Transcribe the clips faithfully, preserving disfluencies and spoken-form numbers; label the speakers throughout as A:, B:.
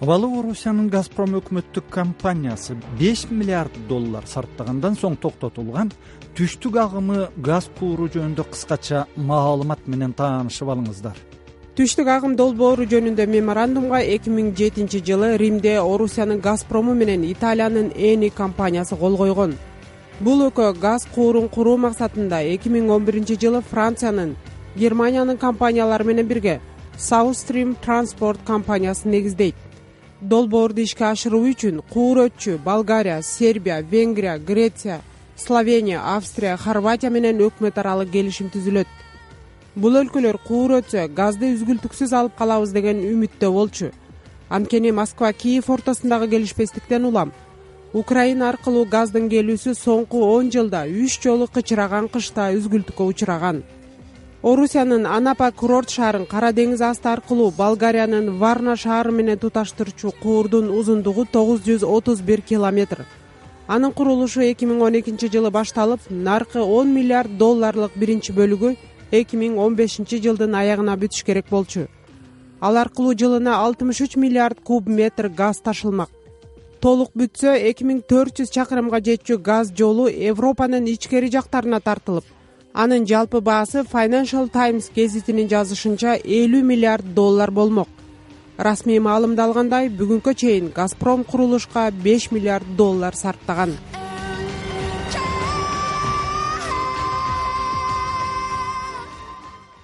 A: Абалы Орусиянын Газпром өкмөттүк компаниясы беш миллиард доллар сарптагандан соң токтотулган түштүк агымы газ кууру жөнүндө кыскача маалымат менен таанышып алыңыздар.
B: Түштүк агым долбоору жөнүндө меморандумга эки миң жетинчи жылы Римде Орусиянын Газпрому менен Италиянын Эни компаниясы кол койгон. Бул экөө газ куурун куруу максатында эки миң он биринчи жылы Франциянын, Германиянын компаниялары менен бирге South Stream Transport компаниясын негиздейт. Долбоорду ишке ашыруу үчүн куурөтчү Болгария, Сербия, Венгрия, Греция, Словения, Австрия, Хорватия менен өкмөт аралык келишим түзүлөт. Бул өлкөлөр куурөтсө газды үзгүлтүксүз алып калабыз деген үмүттө болчу. Анткени Москва Киев ортосундагы келишпестиктен улам Украина аркылуу газдын келүүсү соңку он жылда үч жолу кычыраган кышта үзгүлтүккө учураган. Орусиянын Анапа курорт шаарын Кара деңиз асты аркылуу Болгариянын Варна шаары менен туташтырчу куурдун узундугу тогуз жүз отуз бир километр. Анын курулушу эки миң он экинчи жылы башталып, наркы он миллиард долларлык биринчи бөлүгү эки миң он бешинчи жылдын аягына бүтүш керек болчу. Ал аркылуу жылына алтымыш үч миллиард куб метр газ ташылмак. Толук бүтсө эки миң төрт жүз чакырымга жетчү газ жолу Европанын ичкери жактарына тартылып, анын жалпы баасы Financial Times гезитинин жазышынча элүү миллиард доллар болмок. Расмий маалымда алгандай, бүгүнкө чейин Газпром курулушка беш миллиард доллар сарптаган.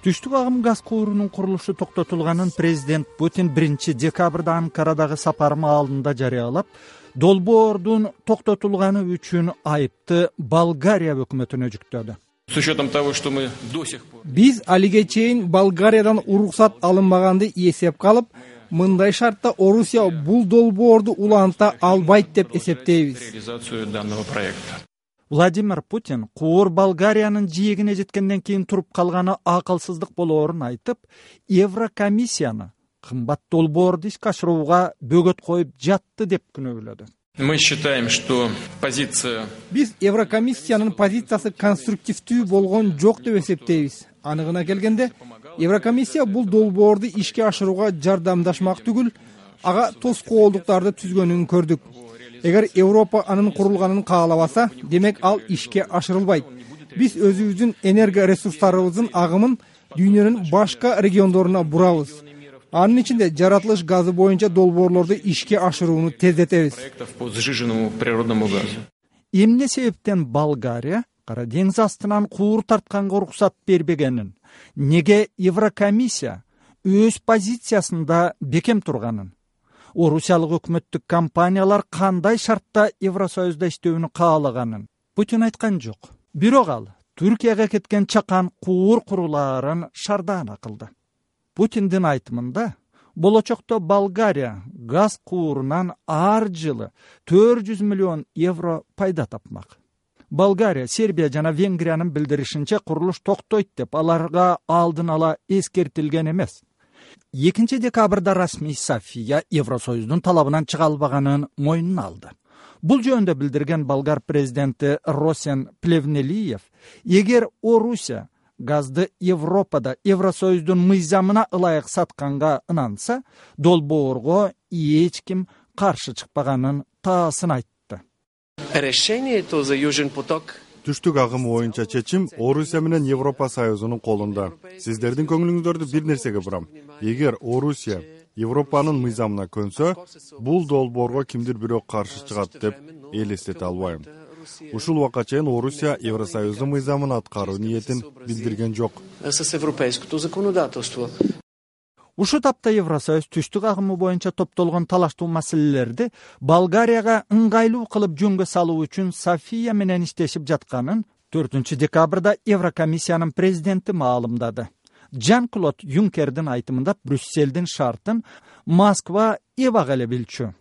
A: Түштүк агым газ куурунун курулушу токтотулганын президент Путин биринчи декабрда Анкарадагы сапары маалында жарыялап, долбоордун токтотулганы үчүн айыпты Болгария өкмөтүнө жүктөдү.
C: С учетом того, что мы до сих пор...
D: Биз алиге чейин Болгариядан уруксат алынбаганды эсепке алып, мындай шартта Орусия бул долбоорду уланта албайт деп эсептейбиз.
C: Реализацию данного проекта.
A: Владимир Путин куур Болгариянын жиегине жеткенден кийин туруп калганы акылсыздык болоорун айтып, Еврокомиссияны кымбат долбоорду ишке ашырууга бөгөт коюп жатты деп күнөөлөдү.
C: Мы считаем, что позиция...
D: Биз Еврокомиссиянын позициясы конструктивдүү болгон жок деп эсептейбиз. Аныгына келгенде, Еврокомиссия бул долбоорду ишке ашырууга жардамдашмак түгүл, ага тоскоолдуктарды түзгөнүн көрдүк. Эгер Европа анын курулганын каалабаса, демек ал ишке ашырылбайт. Биз өзүбүздүн энерго ресурстарыбыздын агымын дүйнөнүн башка региондоруна бурабыз. Анын ичинде жаратылыш газы боюнча долбоорлорду ишке ашырууну тездетебиз.
C: По сжиженному природному газу.
A: Эмне себептен Болгария Кара деңиз астынан куур тартканга уруксат бербегенин, неге Еврокомиссия өз позициясында бекем турганын, орусиялык өкмөттүк компаниялар кандай шартта Евросоюзда иштөөнү каалаганын Путин айткан жок. Бирок ал Түркияга кеткен чакан куур курулаарын шардаана кылды. Путиндин айтымында, болочокто Болгария газ куурунан ар жылы төрт жүз миллион евро пайда тапмак. Болгария, Сербия жана Венгриянын билдиришинче курулуш токтойт деп аларга алдын ала эскертилген эмес. экинчи декабрда расмий София Евросоюздун талабынан чыга албаганын мойнуна алды. Бул жөнүндө билдирген болгар президенти Росен Плевнелиев, эгер Орусия газды Европада Евросоюздун мыйзамына ылайык сатканга ынанса, долбоорго эч ким каршы чыкпаганын таасын айтты.
E: Решението за Южен поток
F: Түштүк агымы боюнча чечим Орусия менен Европа Союзунун колунда. Сиздердин көңүлүңүздөрдү бир нерсеге бурам. Эгер Орусия Европанын мыйзамына көнсө, бул долбоорго кимдир бирөө каршы чыгат деп элестете албайм. Ушул убакка чейин Орусия Евросоюздун мыйзамын аткаруу ниетин билдирген жок.
E: с европейското законодателство.
A: Ушу тапта Евросоюз түштүк агымы боюнча топтолгон талаштуу маселелерди Болгарияга ыңгайлуу кылып жөнгө салуу үчүн София менен иштешип жатканын төртүнчү декабрда Еврокомиссиянын президенти маалымдады. Жан-Клод Юнкердин айтымында Брюсселдин шартын Москва эбак эле билчү.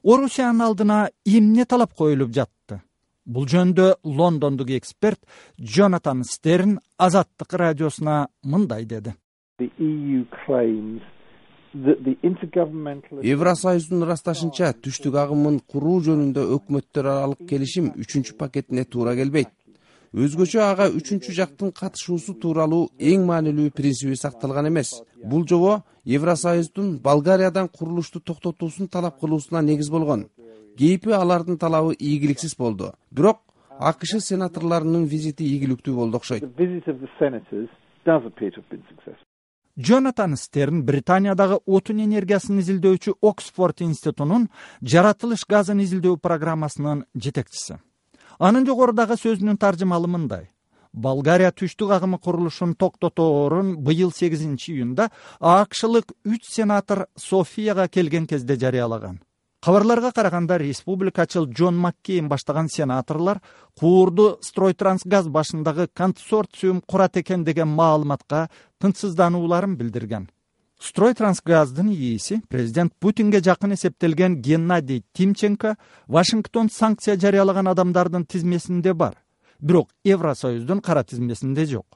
A: Орусиянын алдына эмне талап коюлуп жатты? Бул жөндө Лондондук эксперт Джонатан Стерн Азаттык радиосуна мындай деди.
G: Евросоюздун ырасташынча түштүк агымын куруу жөнүндө өкмөттөр аралык келишим үчүнчү пакетине туура келбейт. өзгөчө ага үчүнчү жактын катышуусу тууралуу эң маанилүү принциби сакталган эмес. Бул жобо Евросоюздун Болгариядан курулушту токтотуусун талап кылуусуна негиз болгон. Кейпи алардын талабы ийгиликсиз болду. Бирок АКШ сенаторлорунун визити ийгиликтүү болду окшойт.
A: Джонатан Стерн Британиядагы отун энергиясын изилдөөчү Оксфорд институтунун жаратылыш газын изилдөө программасынын жетекчиси. Анын жогорудагы сөзүнүн таржымалы мындай: Болгария түштүк агымы курулушун токтоторун быйыл сегизинчи июнда АКШлык үч сенатор Софияга келген кезде жарыялаган. Кабарларга караганда республикачыл Джон Маккейн баштаган сенаторлор куурду Стройтрансгаз башындагы консорциум курат экен деген маалыматка тынчсызданууларын билдирген. Стройтрансгаздын ээси президент Путинге жакын эсептелген Геннадий Тимченко Вашингтон санкция жарыялаган адамдардын тизмесинде бар, бирок Евросоюздун кара тизмесинде жок.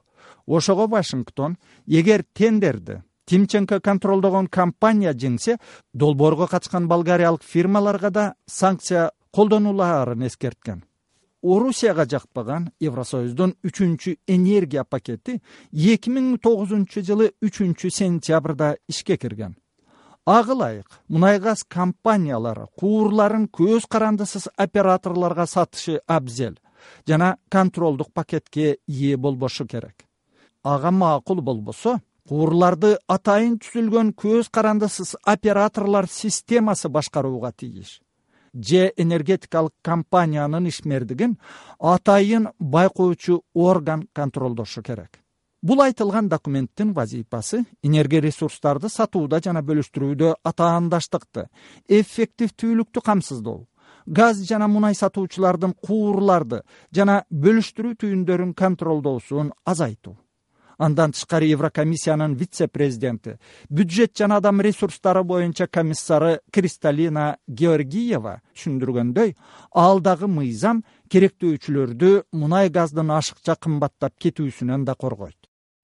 A: Ошого Вашингтон эгер тендерди Тимченко контролдогон компания жеңсе, долбоорго катышкан болгариялык фирмаларга да санкция колдонулаарын эскерткен. Орусияга жакпаган Евросоюздун үчүнчү энергия пакети эки миң тогузунчу жылы үчүнчү сентябрда ишке кирген. Ага ылайык мунай газ компаниялары куурларын көз карандысыз операторлорго сатышы абзел жана контролдук пакетке ээ болбошу керек. Ага макул болбосо, куурларды атайын түзүлгөн көз карандысыз операторлор системасы башкарууга тийиш. Же энергетикалык компаниянын ишмердигин атайын байкоочу орган контролдошу керек. Бул айтылган документтин вазифасы энергия ресурстарды сатууда жана бөлүштүрүүдө атаандаштыкты, эффективдүүлүктү камсыздоо, газ жана мунай сатуучулардын куурларды жана бөлүштүрүү түйүндөрүн контролдоосун азайтуу. Андан тышкары Еврокомиссиянын вице-президенти, бюджет жана адам ресурстары боюнча комиссары Кристалина Георгиева түшүндүргөндөй, алдагы мыйзам керектөөчүлөрдү мунай газдын ашыкча кымбаттап кетүүсүнөн да коргойт.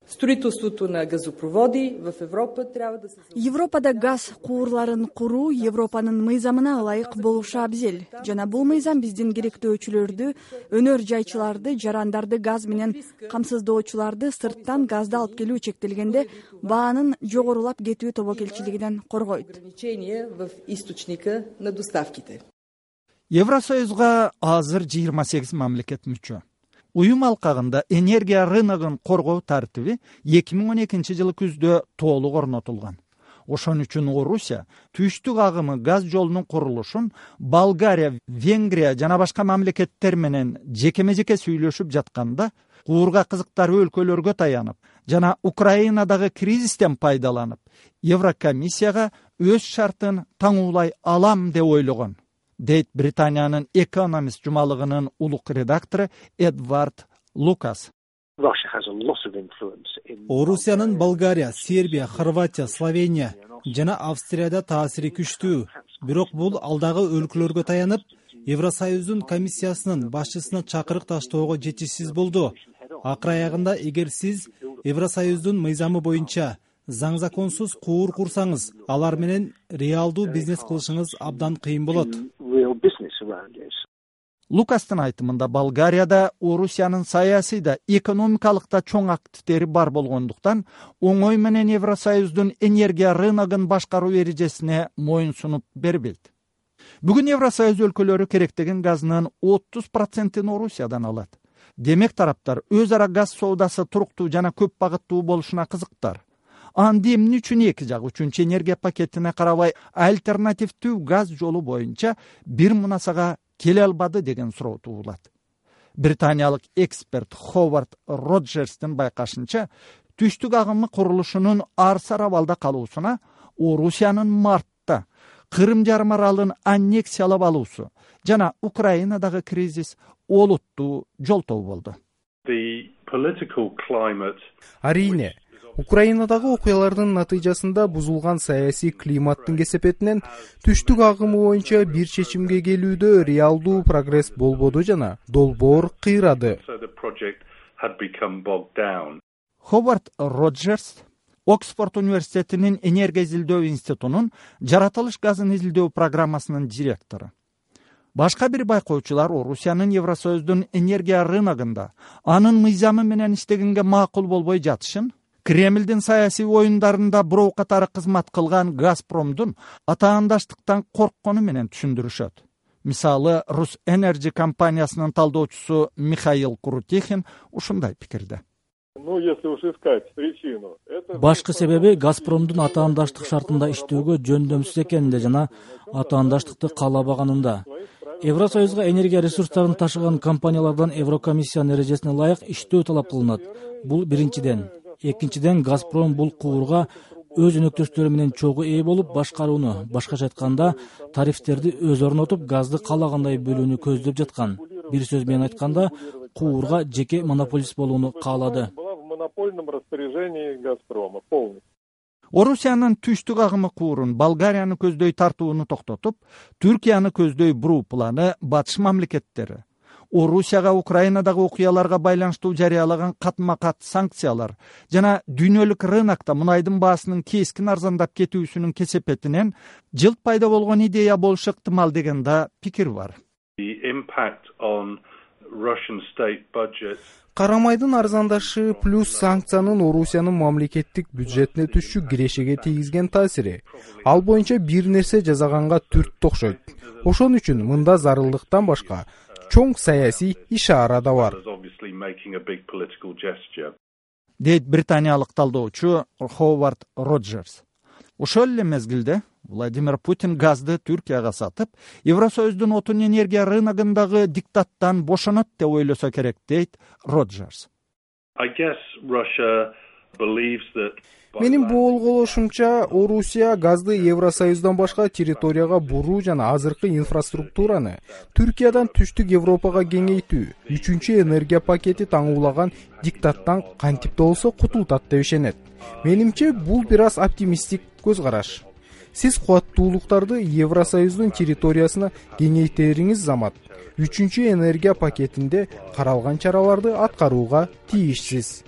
H: Строителството на газопроводи в Европа трябва да се...
I: Европада газ куурларын куруу Европанын мыйзамына ылайык болушу абзел. Жана бул мыйзам биздин керектөөчүлөрдү, өнөр жайчыларды, жарандарды газ менен камсыздоочуларды сырттан газды алып келүү чектелгенде баанын жогорулап кетүү тобокелчилигинен коргойт.
H: В источника на доставките.
A: Евросоюзга азыр жыйырма сегиз мамлекет мүчө. Уюм алкагында энергия рыногун коргоо тартиби эки миң он экинчи жылы күздө толук орнотулган. Ошон үчүн Орусия түштүк агымы газ жолунун курулушун Болгария, Венгрия жана башка мамлекеттер менен жекеме-жеке сүйлөшүп жатканда, куурга кызыктары өлкөлөргө таянып жана Украинадагы кризистен пайдаланып, Еврокомиссияга өз шартын таңуулай алам деп ойлогон, дейт Британиянын Economist жумалыгынын улук редактору Эдвард Лукас.
D: Орусиянын Болгария, Сербия, Хорватия, Словения жана Австрияда таасири күчтүү. Бирок бул алдагы өлкөлөргө таянып, Евросоюздун комиссиясынын башчысына чакырык таштоого жетишсиз болду. Акыр аягында эгер сиз Евросоюздун мыйзамы боюнча заң законсуз куур курсаңыз, алар менен реалдуу бизнес кылышыңыз абдан кыйын болот.
A: Лукастын айтымында Болгарияда Орусиянын саясий да экономикалык да чоң активдери бар болгондуктан оңой менен Евросоюздун энергия рыногун башкаруу эрежесине моюн сунуп бербейт. Бүгүн Евросоюз өлкөлөрү керектеген газынын отуз процентин Орусиядан алат. Демек тараптар өз ара газ соодасы туруктуу жана көп багыттуу болушуна кызыктар. Анда эмне үчүн эки жак үчүнчү энергия пакетине карабай альтернативдүү газ жолу боюнча бир мунасага келе албады деген суроо туулат. Британиялык эксперт Ховард Роджерстин байкашынча, түштүк агымы курулушунун арсар абалда калуусуна Орусиянын мартта Кырым жарым аралын аннексиялап алуусу жана Украинадагы кризис олуттуу жолтоо болду.
J: Арийне, Украинадагы окуялардын натыйжасында бузулган саясий климаттын кесепетинен түштүк агымы боюнча бир чечимге келүүдө реалдуу прогресс болбоду жана долбоор кыйрады.
A: Ховард Роджерс Оксфорд университетинин энергия изилдөө институтунун жаратылыш газын изилдөө программасынын директору. Башка бир байкоочулар Орусиянын Евросоюздун энергия рыногунда анын мыйзамы менен иштегенге макул болбой жатышын, Кремлдин саясий оюндарында бирөө катары кызмат кылган Газпромдун атаандаштыктан корккону менен түшүндүрүшөт. Мисалы, Рус Энерджи компаниясынын талдоочусу Михаил Крутихин ушундай пикирде.
K: Башкы себеби Газпромдун атаандаштык шартында иштөөгө жөндөмсүз экенинде жана атаандаштыкты каалабаганында. Евросоюзга энергия ресурстарын ташыган компаниялардан Еврокомиссиянын эрежесине ылайык иштөө талап кылынат. Бул биринчиден. Экинчиден, Газпром бул куурга өз өнөктөштөрү менен чогуу ээ болуп башкарууну, башкача айтканда, тарифтерди өзү орнотуп, газды каалагандай бөлүүнү көздөп жаткан. Бир сөз менен айтканда, куурга жеке монополист болууну каалады.
A: Орусиянын түштүк агымы куурун Болгарияны көздөй тартууну токтотуп, Түркияны көздөй буруу планы батыш мамлекеттери Орусияга Украинадагы окуяларга байланыштуу жарыялаган катма-кат санкциялар жана дүйнөлүк рынокто мунайдын баасынын кескин арзандап кетүүсүнүн кесепетинен жылт пайда болгон идея болушу ыктымал деген да пикир бар.
J: Карамайдын арзандашы плюс санкциянын Орусиянын мамлекеттик бюджетине түшчү кирешеге тийгизген таасири. Ал боюнча бир нерсе жасаганга түрттү окшойт. Ошон үчүн мында зарылдыктан башка чоң саясий ишара да бар,
A: дейт британиялык талдоочу Ховард Роджерс. Ошол эле мезгилде Владимир Путин газды Түркияга сатып, Евросоюздун отун энергия рыногундагы диктаттан бошонот деп ойлосо керек, дейт Роджерс.
J: Менин боолголошумча, Орусия газды Евросоюздан башка территорияга буруу жана азыркы инфраструктураны Түркиядан түштүк Европага кеңейтүү, үчүнчү энергия пакети таңуулаган диктаттан кантип да болсо кутултат деп ишенет. Менимче, бул бир аз оптимисттик көз караш. Сиз кубаттуулуктарды Евросоюздун территориясына кеңейтериңиз замат үчүнчү энергия пакетинде каралган чараларды аткарууга тийишсиз.